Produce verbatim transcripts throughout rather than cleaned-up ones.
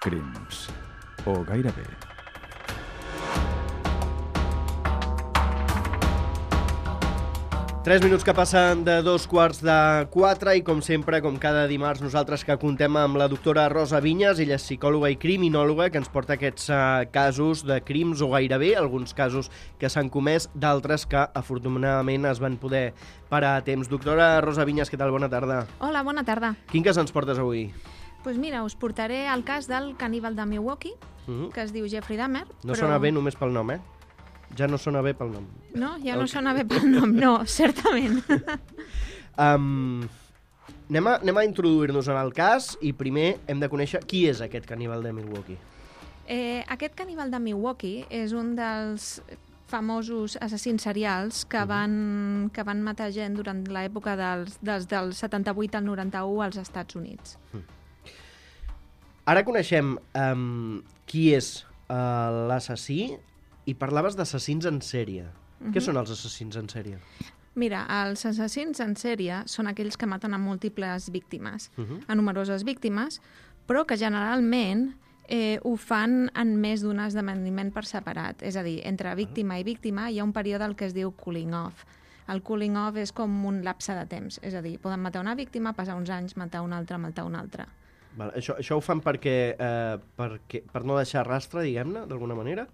Crims. O gairebé. Tres minuts que passen de dos quarts de quatre i, com sempre, com cada dimarts, nosaltres que contem amb la doctora Rosa Vinyes, ella és psicòloga i criminòloga, que ens porta aquests uh, casos de crims o gairebé, alguns casos que s'han comès, d'altres que, afortunadament, es van poder parar a temps. Doctora Rosa Vinyes, què tal? Bona tarda. Hola, bona tarda. Quin cas ens portes avui? Doncs pues mira, us portaré el cas del caníbal de Milwaukee, uh-huh. que es diu Jeffrey Dahmer. No però... sona bé només pel nom, eh? Ja no sona bé pel nom. No, ja no sona bé pel nom, no, certament. um, anem a, anem a introduir-nos en el cas i primer hem de conèixer qui és aquest caníbal de Milwaukee. Eh, aquest caníbal de Milwaukee és un dels famosos assassins serials que van, que van matar gent durant l'època dels, dels del setanta-vuit al noranta-u als Estats Units. Ara coneixem um, qui és uh, l'assassí, i parlaves d'assassins en sèrie. Uh-huh. Què són els assassins en sèrie? Mira, els assassins en sèrie són aquells que maten a múltiples víctimes, uh-huh. a numeroses víctimes, però que generalment eh, ho fan en més d'un esdeveniment per separat. És a dir, entre víctima i víctima hi ha un període el que es diu cooling off. El cooling off és com un lapse de temps. És a dir, poden matar una víctima, passar uns anys, matar una altra, matar una altra. Val, això, això ho fan perquè, eh, perquè, per no deixar rastre, diguem-ne, d'alguna manera?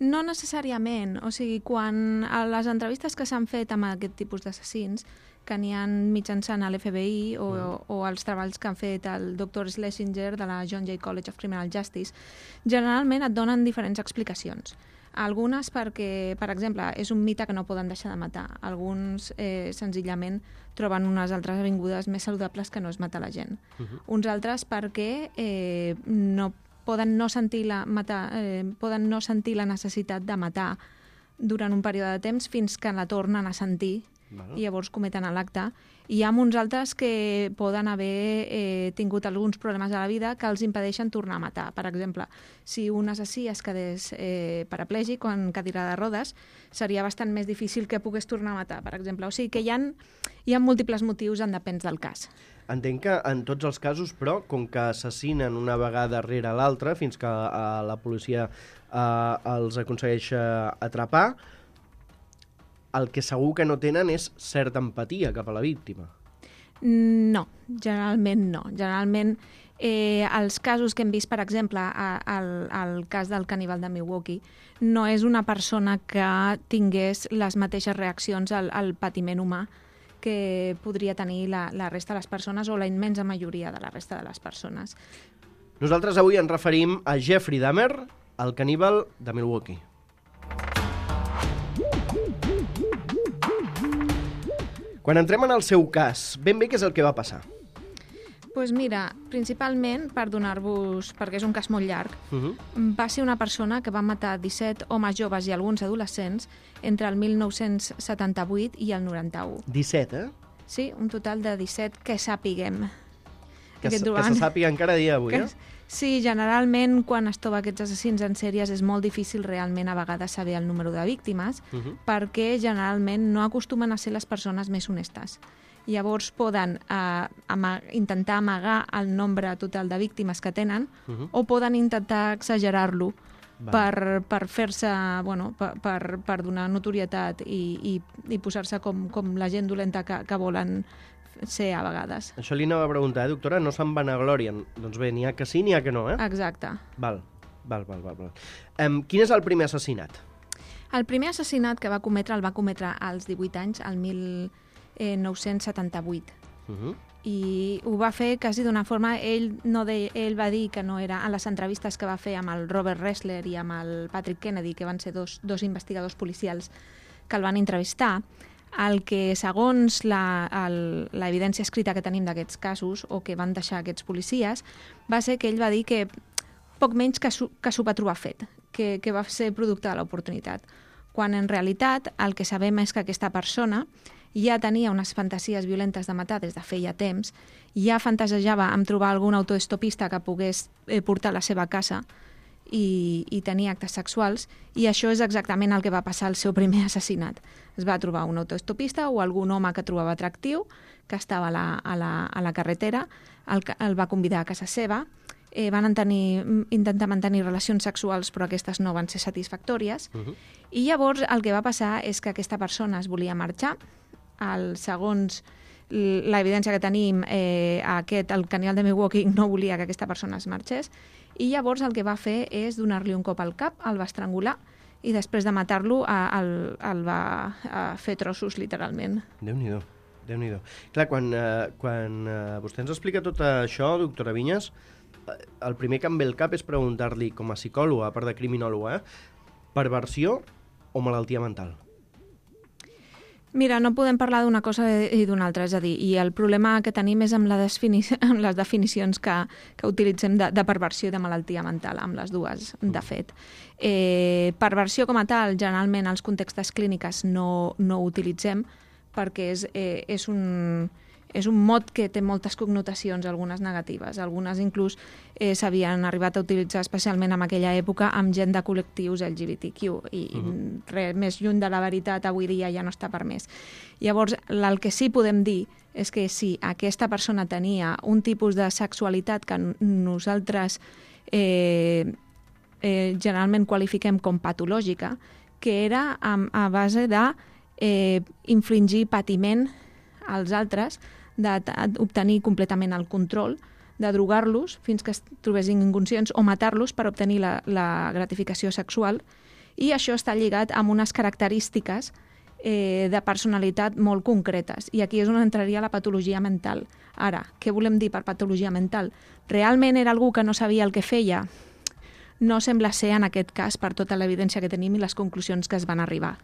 No necessàriament. O sigui, quan a les entrevistes que s'han fet amb aquest tipus d'assassins, que n'hi ha mitjançant a l'F B I o, mm. o els treballs que han fet el doctor Schlesinger de la John Jay College of Criminal Justice, generalment et donen diferents explicacions. Algunes perquè, per exemple, és un mite que no poden deixar de matar. Alguns, eh, senzillament, troben unes altres avingudes més saludables que no és matar la gent. Uh-huh. Uns altres perquè eh, no poden no sentir la matar, eh, poden no sentir la necessitat de matar durant un període de temps fins que la tornen a sentir. Vale. I llavors cometen l'acte. I hi ha uns altres que poden haver eh, tingut alguns problemes a la vida que els impedeixen tornar a matar. Per exemple, si un assassí es quedés eh, paraplègic o en cadira de rodes, seria bastant més difícil que pogués tornar a matar, per exemple. O sigui que hi ha, hi ha múltiples motius en depèn del cas. Entenc que en tots els casos, però, com que assassinen una vegada rere l'altra fins que uh, la policia uh, els aconsegueix atrapar, el que segur que no tenen és certa empatia cap a la víctima. No, generalment no. Generalment, eh, els casos que hem vist, per exemple, al cas del caníbal de Milwaukee, no és una persona que tingués les mateixes reaccions al, al patiment humà que podria tenir la, la resta de les persones o la immensa majoria de la resta de les persones. Nosaltres avui ens referim a Jeffrey Dahmer, el caníbal de Milwaukee. Quan entrem en el seu cas, ben bé què és el que va passar? Doncs pues mira, principalment, per donar-vos, perquè és un cas molt llarg, uh-huh. va ser una persona que va matar disset homes joves i alguns adolescents entre el mil nou-cents setanta-vuit i el noranta-u. disset, eh? Sí, un total de disset que sàpiguem. Que, que se sàpiga encara dia d'avui, que, eh? Sí, generalment quan es troba aquests assassins en sèries és molt difícil realment a vegades saber el número de víctimes, uh-huh. perquè generalment no acostumen a ser les persones més honestes. Llavors poden eh, ama intentar amagar el nombre total de víctimes que tenen uh-huh. o poden intentar exagerar-lo per, per fer-se, bueno, per, per, per donar notorietat i, i, i posar-se com, com la gent dolenta que, que volen ser a vegades. Això li anava a preguntar, eh, doctora? No se'n vanaglorien. Doncs bé, n'hi ha que sí, n'hi ha que no, eh? Exacte. Val, val, val. val, val. Um, quin és el primer assassinat? El primer assassinat que va cometre el va cometre als divuit anys, al mil nou-cents setanta-vuit. Uh-huh. I ho va fer quasi d'una forma... Ell, no de, ell va dir que no era... En les entrevistes que va fer amb el Robert Ressler i amb el Patrick Kennedy, que van ser dos, dos investigadors policials que el van entrevistar, el que, segons l'evidència escrita que tenim d'aquests casos, o que van deixar aquests policies, va ser que ell va dir que poc menys que s'ho va trobar fet, que, que va ser producte de l'oportunitat. Quan en realitat el que sabem és que aquesta persona ja tenia unes fantasies violentes de matar des de feia temps, ja fantasejava amb trobar algun autoestopista que pogués eh, portar a la seva casa i, i tenir actes sexuals, i això és exactament el que va passar al seu primer assassinat. Es va trobar un autoestopista o algun home que trobava atractiu, que estava a la, a la, a la carretera, el, el va convidar a casa seva eh, van tenir, intentar mantenir relacions sexuals, però aquestes no van ser satisfactòries. Uh-huh. I llavors el que va passar és que aquesta persona es volia marxar. El, segons l'evidència que tenim, eh, aquest, el canibal de Milwaukee no volia que aquesta persona es marxés, i llavors el que va fer és donar-li un cop al cap, el va estrangular, i després de matar-lo el, el va fer trossos, literalment. Déu-n'hi-do, Déu-n'hi-do. Clar, quan, eh, quan eh, vostè ens explica tot això, doctora Vinyes, eh, el primer que em ve al cap és preguntar-li, com a psicòloga, a part de criminòloga, eh, perversió o malaltia mental? Mira, no podem parlar d'una cosa i d'una altra, és a dir, i el problema que tenim és amb, la defini amb les definicions que, que utilitzem de, de perversió i de malaltia mental, amb les dues, de fet. Eh, perversió com a tal, generalment als contextes clínics no, no ho utilitzem perquè és, eh, és un... és un mot que té moltes connotacions, algunes negatives. Algunes inclús eh, s'havien arribat a utilitzar especialment en aquella època amb gent de col·lectius L G B T Q i, uh-huh. i res més lluny de la veritat avui dia ja no està permès. Llavors, el que sí podem dir és que si aquesta persona tenia un tipus de sexualitat que nosaltres eh, eh, generalment qualifiquem com patològica, que era a, a base de eh, infligir patiment als altres, d'obtenir completament el control, de drogar-los fins que es trobessin inconscients o matar-los per obtenir la, la gratificació sexual, i això està lligat amb unes característiques eh, de personalitat molt concretes, i aquí és on entraria la patologia mental. Ara, què volem dir per patologia mental? Realment era algú que no sabia el que feia? No sembla ser en aquest cas per tota l'evidència que tenim i les conclusions que es van arribar.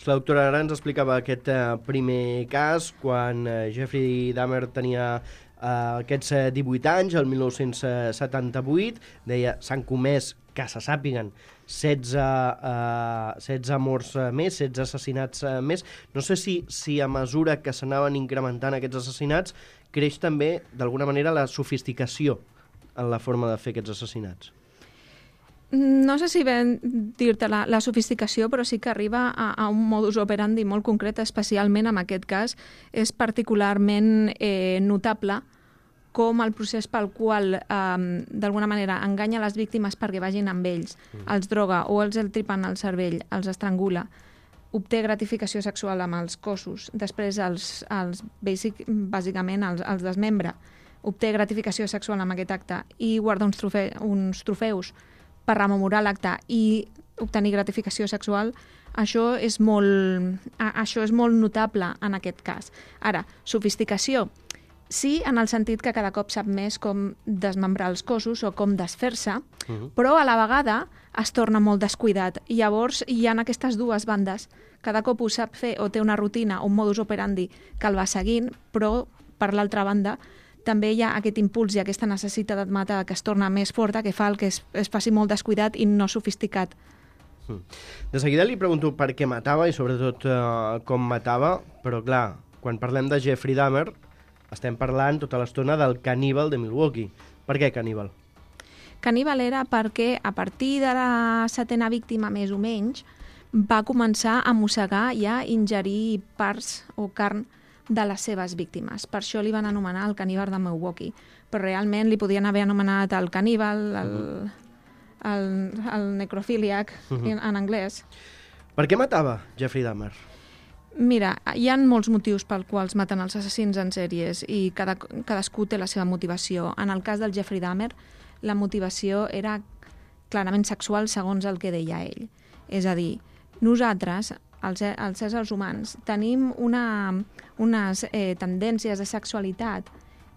La doctora ara ens explicava aquest uh, primer cas quan uh, Jeffrey Dahmer tenia uh, aquests uh, divuit anys, el mil nou-cents setanta-vuit, deia s'han comès, que se sàpiguen, setze, uh, setze morts uh, més, setze assassinats uh, més. No sé si, si a mesura que s'anaven incrementant aquests assassinats creix també, d'alguna manera, la sofisticació en la forma de fer aquests assassinats. No sé si ben dir-te la, la sofisticació, però sí que arriba a, a un modus operandi molt concret, especialment en aquest cas. És particularment eh, notable com el procés pel qual, eh, d'alguna manera, enganya les víctimes perquè vagin amb ells, mm. els droga o els el tripen al cervell, els estrangula, obté gratificació sexual amb els cossos, després els, els basic, bàsicament els, els desmembra, obté gratificació sexual amb aquest acte i guarda uns, trofe, uns trofeus per rememorar l'acte i obtenir gratificació sexual, això és molt, això és molt notable en aquest cas. Ara, sofisticació, sí, en el sentit que cada cop sap més com desmembrar els cossos o com desfer-se, uh-huh. però a la vegada es torna molt descuidat. I llavors hi ha aquestes dues bandes. Cada cop ho sap fer o té una rutina o un modus operandi que el va seguint, però per l'altra banda també hi ha aquest impuls i aquesta necessitat de matar que es torna més forta, que fa el que es, es faci molt descuidat i no sofisticat. De seguida li pregunto per què matava i sobretot uh, com matava, però clar, quan parlem de Jeffrey Dahmer estem parlant tota l'estona del caníbal de Milwaukee. Per què caníbal? Caníbal era perquè a partir de la setena víctima més o menys va començar a mossegar i a ingerir parts o carn de les seves víctimes. Per això li van anomenar el caníbal de Milwaukee. Però realment li podien haver anomenat el caníbal, el, el, el necrofíliac, uh-huh. en, en anglès. Per què matava Jeffrey Dahmer? Mira, hi ha molts motius pels quals maten els assassins en sèries i cada, cadascú té la seva motivació. En el cas del Jeffrey Dahmer, la motivació era clarament sexual segons el que deia ell. És a dir, nosaltres, els, els éssers humans, tenim una, unes eh, tendències de sexualitat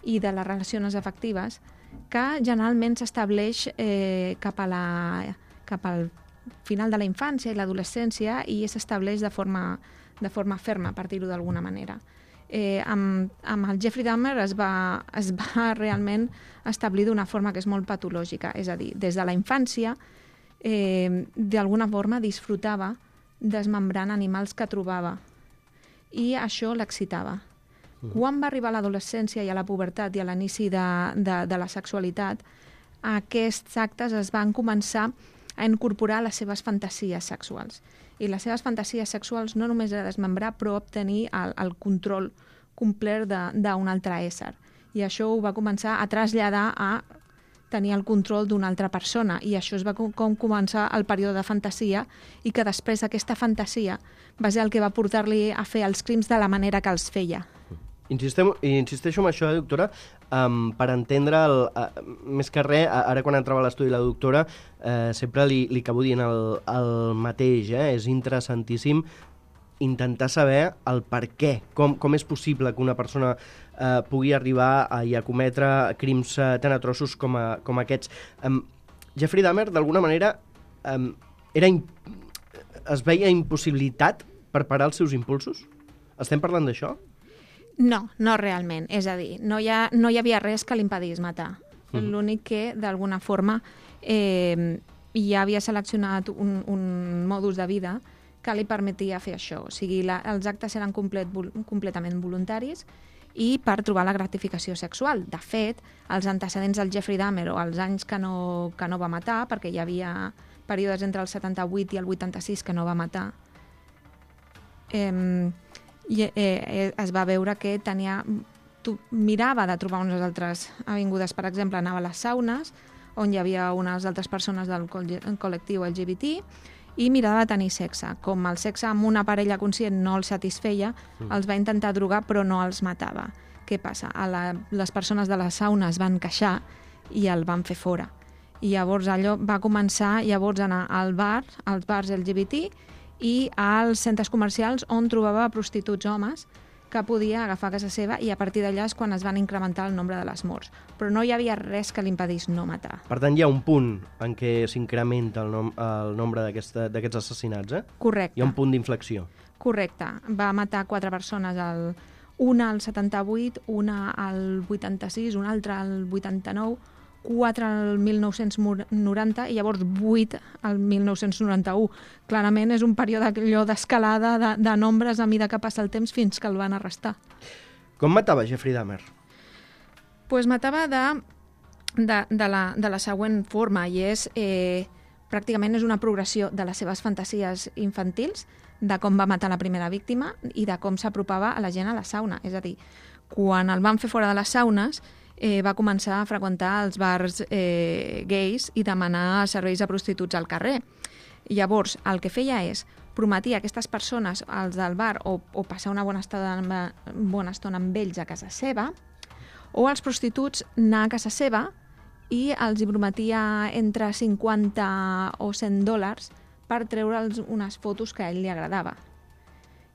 i de les relacions afectives que generalment s'estableix eh, cap, a la, cap al final de la infància i l'adolescència i s'estableix de forma, de forma ferma, per dir-ho d'alguna manera. Eh, amb, amb el Jeffrey Dahmer es va, es va realment establir d'una forma que és molt patològica, és a dir, des de la infància eh, d'alguna forma disfrutava desmembrant animals que trobava i això l'excitava. Mm. Quan va arribar a l'adolescència i a la pubertat i a l'inici de, de, de la sexualitat, aquests actes es van començar a incorporar les seves fantasies sexuals. I les seves fantasies sexuals no només era desmembrar, però obtenir el, el control complet d'un altre ésser. I això ho va començar a traslladar a tenia el control d'una altra persona, i això es va com, com començar el període de fantasia, i que després aquesta fantasia va ser el que va portar-li a fer els crims de la manera que els feia. Insistem, insisteixo en això, eh, doctora, um, per entendre, el, uh, més que res, ara quan entrava a l'estudi la doctora, uh, sempre li, li acabo dient el, el mateix, eh? És interessantíssim intentar saber el per què, com, com és possible que una persona uh, pugui arribar a, a cometre crims uh, tan atrossos com, a, com aquests. Um, Jeffrey Dahmer, d'alguna manera, um, era imp... es veia impossibilitat per parar els seus impulsos? Estem parlant d'això? No, no realment. És a dir, no hi, ha, no hi havia res que l'impedís matar. Mm. L'únic que, d'alguna forma, eh, ja havia seleccionat un, un modus de vida que li permetia fer això. O sigui, la, els actes eren complet, completament voluntaris i per trobar la gratificació sexual. De fet, els antecedents del Jeffrey Dahmer o els anys que no, que no va matar, perquè hi havia períodes entre el setanta-vuit i el vuitanta-sis que no va matar, eh, i eh, es va veure que tenia, tu, mirava de trobar unes altres avingudes. Per exemple, anava a les saunes, on hi havia unes altres persones del col·lectiu L G B T, i mirava de tenir sexe. Com el sexe amb una parella conscient no els satisfeia, mm. els va intentar drogar però no els matava. Què passa? A la, les persones de les saunes van queixar i el van fer fora. I llavors allò va començar llavors a anar al bar, als bars L G B T, i als centres comercials on trobava prostituts homes que podia agafar a casa seva, i a partir d'allà és quan es van incrementar el nombre de les morts. Però no hi havia res que l'impedís no matar. Per tant, hi ha un punt en què s'incrementa el, nom el nombre d'aquests assassinats, eh? Correcte. Hi ha un punt d'inflexió. Correcte. Va matar quatre persones, el, una al setanta-vuit, una al vuitanta-sis, una altra al vuitanta-nou, quatre al mil nou-cents noranta i llavors vuit al mil nou-cents noranta-u. Clarament és un període d'escalada de, de nombres a mida que passa el temps fins que el van arrestar. Com matava Jeffrey Dahmer? Pues matava de, de, de, la, de la següent forma, i és eh, pràcticament és una progressió de les seves fantasies infantils, de com va matar la primera víctima i de com s'apropava a la gent a la sauna. És a dir, quan el van fer fora de les saunes, Eh, va començar a freqüentar els bars eh, gais i demanar serveis a prostituts al carrer. I llavors, el que feia és prometir a aquestes persones, als del bar, o, o passar una bona estona, bona estona amb ells a casa seva, o als prostituts anar a casa seva i els hi prometia entre cinquanta o cent dòlars per treure'ls unes fotos que a ell li agradava.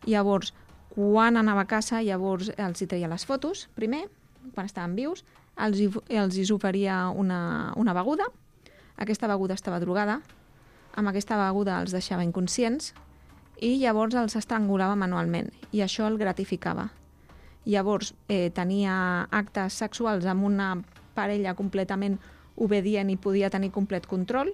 Llavors, quan anava a casa, llavors els hi treia les fotos, primer, quan estaven vius, els hi, els hi oferia una, una beguda. Aquesta beguda estava drogada, amb aquesta beguda els deixava inconscients i llavors els estrangulava manualment, i això el gratificava. Llavors eh, tenia actes sexuals amb una parella completament obedient i podia tenir complet control,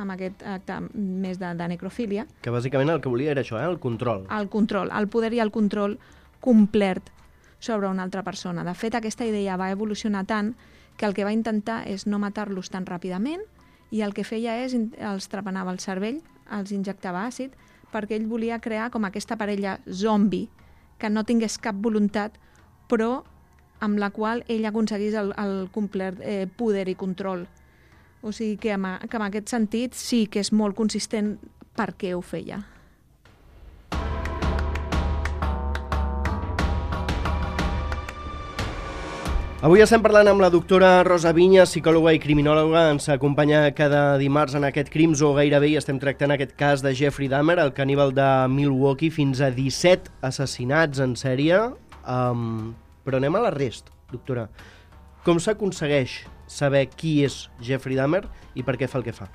amb aquest acte més de, de necrofília. Que bàsicament el que volia era això, eh? El control. El control, el poder i el control complet sobre una altra persona. De fet, aquesta idea va evolucionar tant que el que va intentar és no matar-los tan ràpidament, i el que feia és els trepanava el cervell, els injectava àcid, perquè ell volia crear com aquesta parella zombi que no tingués cap voluntat, però amb la qual ell aconseguís el, el complet eh, poder i control. O sigui que, amb, que en aquest sentit sí que és molt consistent per què ho feia. Avui estem parlant amb la doctora Rosa Viñas, psicòloga i criminòloga. Ens acompanya cada dimarts en aquest Crims o gairebé, i estem tractant aquest cas de Jeffrey Dahmer, el caníbal de Milwaukee, fins a disset assassinats en sèrie. Um, però anem a l'arrest, doctora. Com s'aconsegueix saber qui és Jeffrey Dahmer i per què fa el que fa?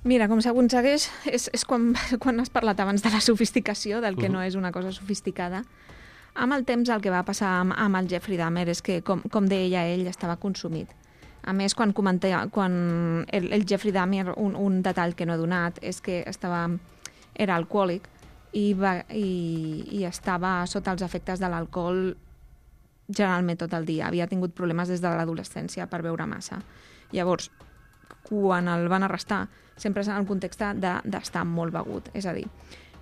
Mira, com s'aconsegueix és, és quan, quan has parlat abans de la sofisticació, del que uh-huh. no és una cosa sofisticada. Amb el temps el que va passar amb, amb el Jeffrey Dahmer és que, com, com deia ell, estava consumit. A més, quan comenté, quan el, el Jeffrey Dahmer, un, un detall que no he donat, és que estava, era alcohòlic i, va, i, i estava sota els efectes de l'alcohol generalment tot el dia. Havia tingut problemes des de l'adolescència per beure massa. Llavors, quan el van arrestar, sempre és en el context d'estar molt begut. És a dir,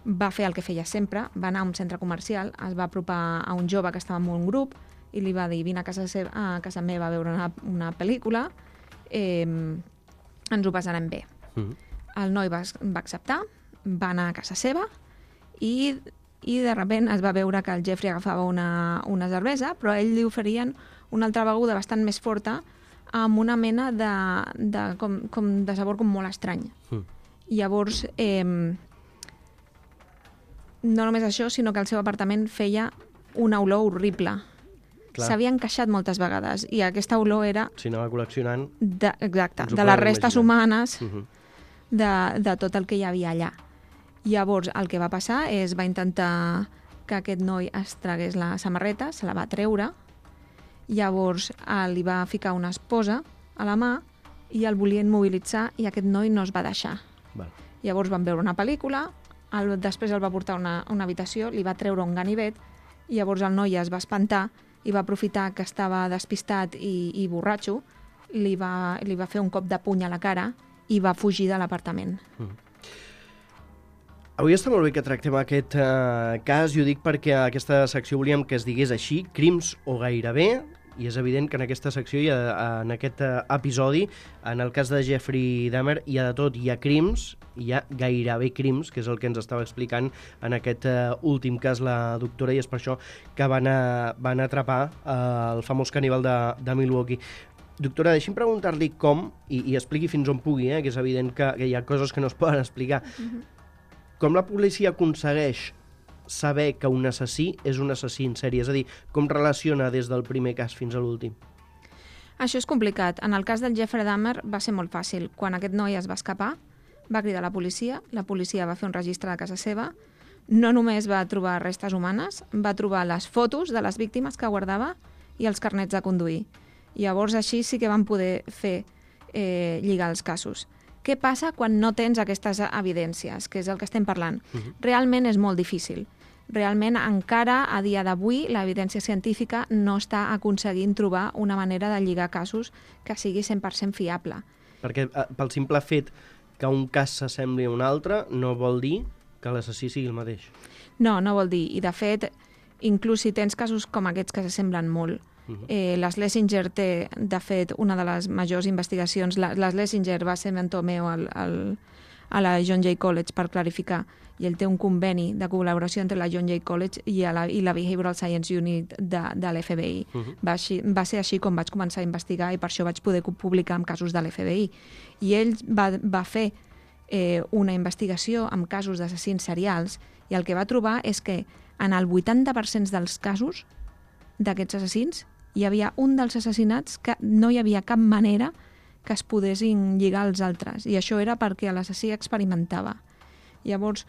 va fer el que feia sempre, va anar a un centre comercial, es va apropar a un jove que estava en un grup, i li va dir, vine a casa, seva, a casa meva a veure una, una pel·lícula, eh, ens ho passarem bé. Mm. El noi va, va acceptar, va anar a casa seva i, i de sobte es va veure que el Jeffrey agafava una, una cervesa, però a ell li oferien una altra beguda bastant més forta amb una mena de, de, com, com de sabor com molt estrany. Mm. Llavors, eh, no només això, sinó que el seu apartament feia una olor horrible. S'havia encaixat moltes vegades i aquesta olor era... Si anava col·leccionant... De, exacte, de les restes humanes uh -huh. de, de tot el que hi havia allà. Llavors, el que va passar és va intentar que aquest noi es tragués la samarreta, se la va treure, llavors eh, li va ficar una esposa a la mà i el volia immobilitzar i aquest noi no es va deixar. Val. Llavors van veure una pel·lícula, el, després el va portar a una, una habitació, li va treure un ganivet i llavors el noi es va espantar i va aprofitar que estava despistat i, i borratxo, li va, li va fer un cop de puny a la cara i va fugir de l'apartament. Mm. Avui està molt bé que tractem aquest uh, cas, i ho dic perquè a aquesta secció volíem que es digués així, crims o gairebé, i és evident que en aquesta secció, i en aquest uh, episodi, en el cas de Jeffrey Dahmer, hi ha de tot, hi ha crims, hi ha gairebé crims, que és el que ens estava explicant en aquest uh, últim cas la doctora, i és per això que van, a, van atrapar uh, el famós caníbal de, de Milwaukee. Doctora, deixi'm preguntar-li com, i, i expliqui fins on pugui, eh, que és evident que, que hi ha coses que no es poden explicar, mm-hmm. com la policia aconsegueix saber que un assassí és un assassí en sèrie? És a dir, com relaciona des del primer cas fins a l'últim? Això és complicat. En el cas del Jeffrey Dahmer va ser molt fàcil. Quan aquest noi es va escapar, va cridar a la policia, la policia va fer un registre de casa seva, no només va trobar restes humanes, va trobar les fotos de les víctimes que guardava i els carnets de conduir. Llavors així sí que van poder fer eh, lligar els casos. Què passa quan no tens aquestes evidències, que és el que estem parlant? Uh-huh. Realment és molt difícil. Realment encara a dia d'avui l'evidència científica no està aconseguint trobar una manera de lligar casos que sigui cent per cent fiable. Perquè pel simple fet que un cas s'assembli a un altre no vol dir que l'assassí sigui el mateix. No, no vol dir. I de fet, inclús si tens casos com aquests que s'assemblen molt, Uh-huh. Eh, les Lessinger té, de fet, una de les majors investigacions. La, les Lessinger va ser mentor meu al, al, a la John Jay College per clarificar, i ell té un conveni de col·laboració entre la John Jay College i, a la, i la Behavioral Science Unit de, de l'F B I. Uh-huh. va, així, va ser així com vaig començar a investigar i per això vaig poder publicar amb casos de l'F B I. I ell va, va fer eh, una investigació amb casos d'assassins serials i el que va trobar és que en el vuitanta per cent dels casos d'aquests assassins hi havia un dels assassinats que no hi havia cap manera que es podessin lligar als altres, i això era perquè l'assassí experimentava. Llavors,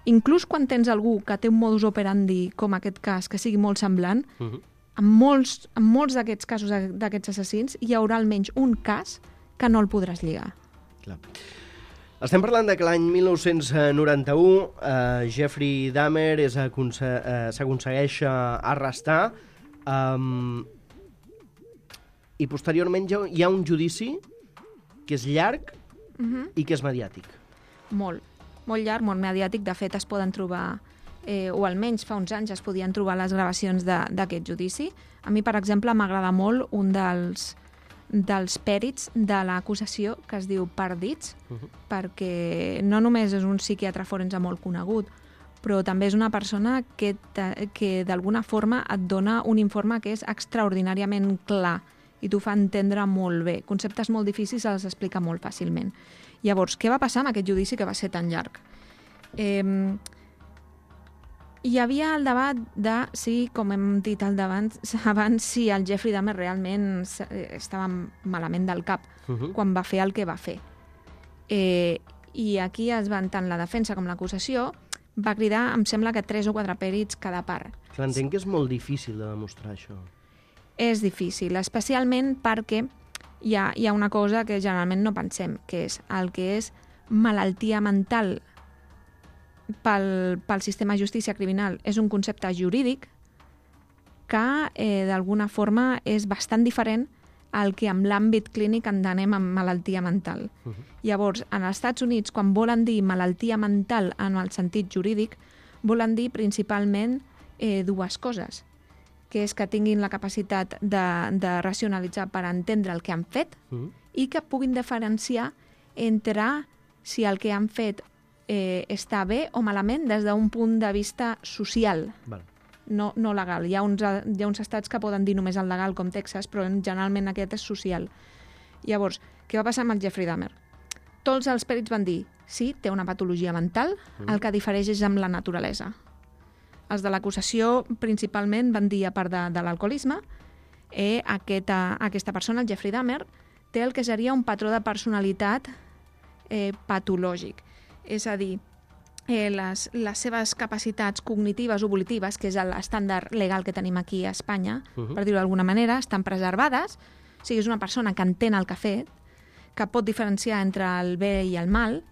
inclús quan tens algú que té un modus operandi com aquest cas, que sigui molt semblant, uh-huh. en molts, en molts d'aquests casos d'aquests assassins hi haurà almenys un cas que no el podràs lligar. Clar. Estem parlant de que l'any mil nou-cents noranta-u eh, Jeffrey Dahmer és aconse eh, s'aconsegueix arrestar, um, i posteriorment hi ha un judici que és llarg uh-huh. i que és mediàtic. Molt, molt llarg, molt mediàtic. De fet, es poden trobar, eh, o almenys fa uns anys es podien trobar les gravacions d'aquest judici. A mi, per exemple, m'agrada molt un dels, dels pèrits de l'acusació que es diu Parditz, uh-huh. perquè no només és un psiquiatre forense molt conegut, però també és una persona que, que d'alguna forma et dona un informe que és extraordinàriament clar i t'ho fa entendre molt bé. Conceptes molt difícils els explica molt fàcilment. Llavors, què va passar amb aquest judici que va ser tan llarg? Eh, hi havia el debat de si, com hem dit al davant, abans, si el Jeffrey Dahmer realment estava malament del cap uh-huh. quan va fer el que va fer. Eh, I aquí es van, tant la defensa com l'acusació, va cridar, em sembla que tres o quatre pèrits cada part. Clar, entenc que és molt difícil de demostrar això. És difícil, especialment perquè hi ha, hi ha una cosa que generalment no pensem, que és el que és malaltia mental pel, pel sistema de justícia criminal. És un concepte jurídic que eh, d'alguna forma és bastant diferent al que amb l'àmbit clínic entenem amb malaltia mental. Uh-huh. Llavors, en els Estats Units, quan volen dir malaltia mental en el sentit jurídic, volen dir principalment eh, dues coses, que és que tinguin la capacitat de, de racionalitzar per entendre el que han fet Mm. i que puguin diferenciar entre si el que han fet eh, està bé o malament des d'un punt de vista social, Val. no, no legal. Hi ha, uns, hi ha uns estats que poden dir només el legal, com Texas, però generalment aquest és social. Llavors, què va passar amb el Jeffrey Dahmer? Tots els pèrits van dir, sí, té una patologia mental, mm. el que difereix és amb la naturalesa. Els de l'acusació principalment van dir, a part de, de l'alcoholisme, eh, aquesta, aquesta persona, el Jeffrey Dahmer, té el que seria un patró de personalitat eh, patològic. És a dir, eh, les, les seves capacitats cognitives o volitives, que és l'estàndard legal que tenim aquí a Espanya, uh-huh. per dir-ho d'alguna manera, estan preservades. O sigui, és una persona que entén el que ha fet, que pot diferenciar entre el bé i el mal,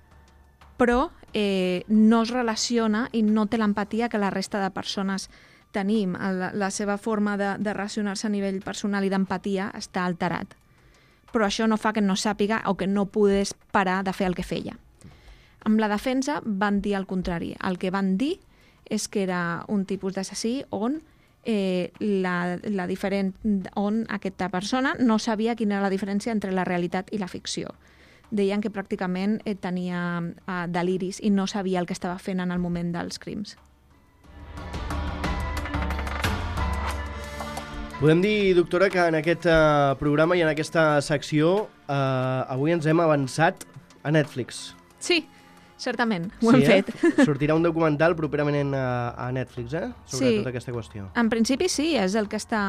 però eh, no es relaciona i no té l'empatia que la resta de persones tenim. La, la seva forma de, de relacionar-se a nivell personal i d'empatia està alterat. Però això no fa que no sàpiga o que no pogués parar de fer el que feia. Amb la defensa van dir el contrari. El que van dir és que era un tipus d'assassí on, eh, la, la diferent, on aquesta persona no sabia quina era la diferència entre la realitat i la ficció. Deien que pràcticament eh, tenia eh, deliris i no sabia el que estava fent en el moment dels crims. Podem dir, doctora, que en aquest uh, programa i en aquesta secció uh, avui ens hem avançat a Netflix. Sí, certament, ho sí, hem eh? fet. Sortirà un documental properament a, a Netflix, eh? Sobre sí. tota aquesta qüestió. En principi sí, és el que està,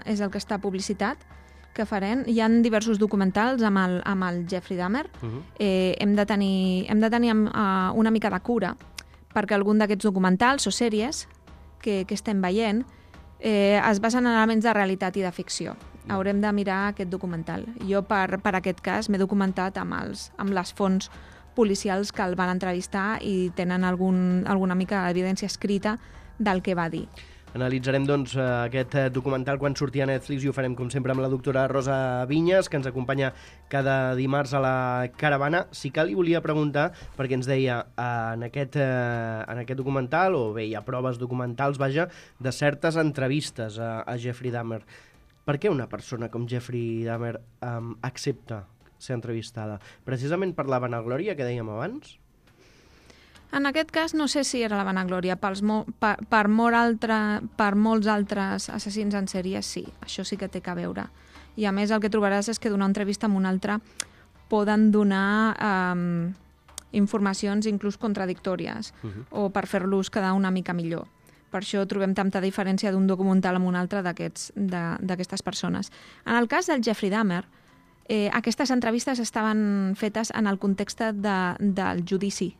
és el que està publicitat, que farem. Hi ha diversos documentals amb el, amb el Jeffrey Dahmer. Uh-huh. eh, hem de tenir, hem de tenir uh, una mica de cura perquè algun d'aquests documentals o sèries que, que estem veient eh, es basen en elements de realitat i de ficció. Uh-huh. Haurem de mirar aquest documental. Jo, per, per aquest cas, m'he documentat amb, els, amb les fonts policials que el van entrevistar i tenen algun, alguna mica d'evidència escrita del que va dir. Analitzarem doncs, aquest documental quan surti a Netflix i ho farem, com sempre, amb la doctora Rosa Vinyes, que ens acompanya cada dimarts a la caravana. Sí que li volia preguntar, perquè ens deia en aquest, en aquest documental, o bé, hi ha proves documentals, vaja, de certes entrevistes a, a Jeffrey Dahmer. Per què una persona com Jeffrey Dahmer um, accepta ser entrevistada? Precisament per la vanaglòria que dèiem abans? En aquest cas no sé si era la vanaglòria. Pels mo per, per, molt altre, per molts altres assassins en sèrie sí, això sí que té que veure. I a més el que trobaràs és que d'una entrevista amb una altra poden donar um, informacions inclús contradictòries uh-huh. o per fer-los quedar una mica millor. Per això trobem tanta diferència d'un documental amb un altre d'aquestes persones. En el cas del Jeffrey Dahmer, eh, aquestes entrevistes estaven fetes en el context de, del judici.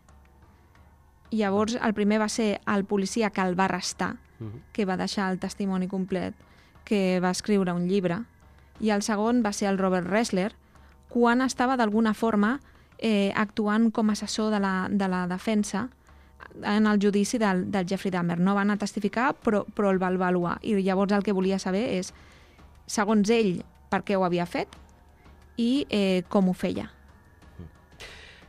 Llavors, el primer va ser el policia que el va arrestar, uh-huh. que va deixar el testimoni complet, que va escriure un llibre, i el segon va ser el Robert Ressler, quan estava d'alguna forma eh, actuant com a assessor de la, de la defensa en el judici del, del Jeffrey Dahmer. No va anar a testificar, però, però el va avaluar. I llavors el que volia saber és, segons ell, per què ho havia fet i eh, com ho feia.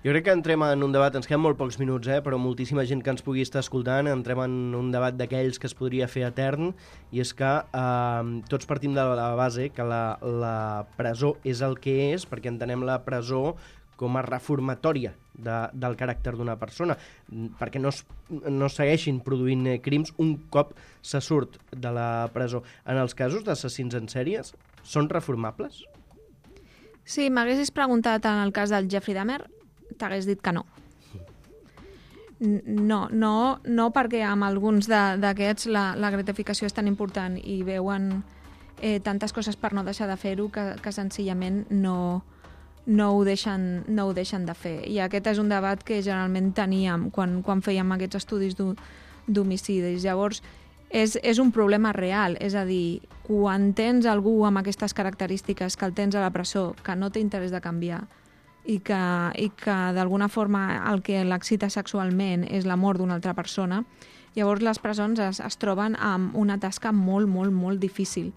Jo crec que entrem en un debat, ens queden molt pocs minuts, eh, però moltíssima gent que ens pugui estar escoltant, entrem en un debat d'aquells que es podria fer etern, i és que eh, tots partim de la base que la, la presó és el que és, perquè entenem la presó com a reformatòria de, del caràcter d'una persona, perquè no, es, no segueixin produint crims un cop se surt de la presó. En els casos d'assassins en sèries, són reformables? Si m'haguessis preguntat en el cas del Jeffrey Dahmer, t'hagués dit que no. No, no, no perquè amb alguns d'aquests la, la gratificació és tan important i veuen eh, tantes coses per no deixar de fer-ho que, que senzillament no, no, ho deixen, no ho deixen de fer. I aquest és un debat que generalment teníem quan, quan fèiem aquests estudis d'homicidis. Llavors, és, és un problema real, és a dir, quan tens algú amb aquestes característiques, que el tens a la presó, que no té interès de canviar, i que, i que d'alguna forma el que l'excita sexualment és la mort d'una altra persona, llavors les presons es, es troben amb una tasca molt, molt, molt difícil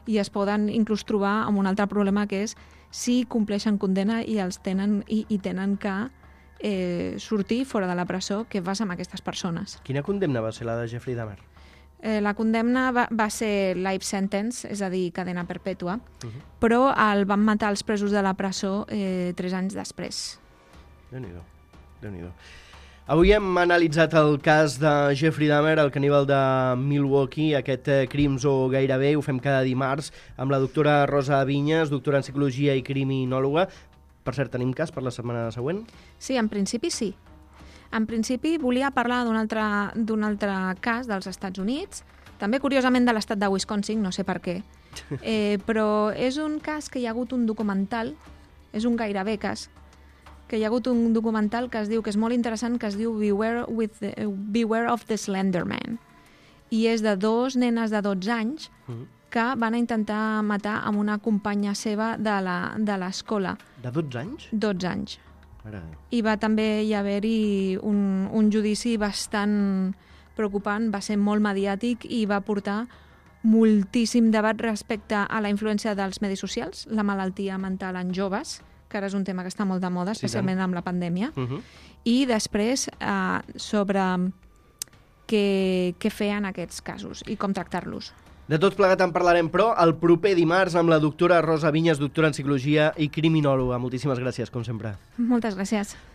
i es poden inclús trobar amb un altre problema, que és si compleixen condemna i els tenen, i, i tenen que eh, sortir fora de la presó. Què fas amb aquestes persones? Quina condemna va ser la de Jeffrey Dahmer? Eh, la condemna va, va ser life sentence, és a dir, cadena perpètua, Uh -huh. però el van matar els presos de la presó eh, tres anys després. Déu-n'hi-do, Déu-n'hi-do. Avui hem analitzat el cas de Jeffrey Dahmer, el caníbal de Milwaukee, aquest eh, Crims o gairebé, ho fem cada dimarts, amb la doctora Rosa Vinyes, doctora en psicologia i criminòloga. Per cert, tenim cas per la setmana següent? Sí, en principi sí. En principi volia parlar d'un altre, d'un altre cas dels Estats Units, també curiosament de l'estat de Wisconsin, no sé per què, eh, però és un cas que hi ha hagut un documental, és un gairebé cas, que hi ha hagut un documental que es diu, que és molt interessant, que es diu Beware, with the, Beware of the Slender Man, i és de dos nenes de dotze anys Uh-huh. que van a intentar matar amb una companya seva de la- de l'escola, De dotze anys? dotze anys. Mare de Déu. I va també hi haver-hi un, un judici bastant preocupant, va ser molt mediàtic i va portar moltíssim debat respecte a la influència dels medis socials, la malaltia mental en joves, que ara és un tema que està molt de moda, Sí, especialment tant. amb la pandèmia, Uh-huh. i després eh, sobre què, què fer en aquests casos i com tractar-los. De tot plegat en parlarem, però, el proper dimarts amb la doctora Rosa Vinyes, doctora en psicologia i criminòloga. Moltíssimes gràcies, com sempre. Moltes gràcies.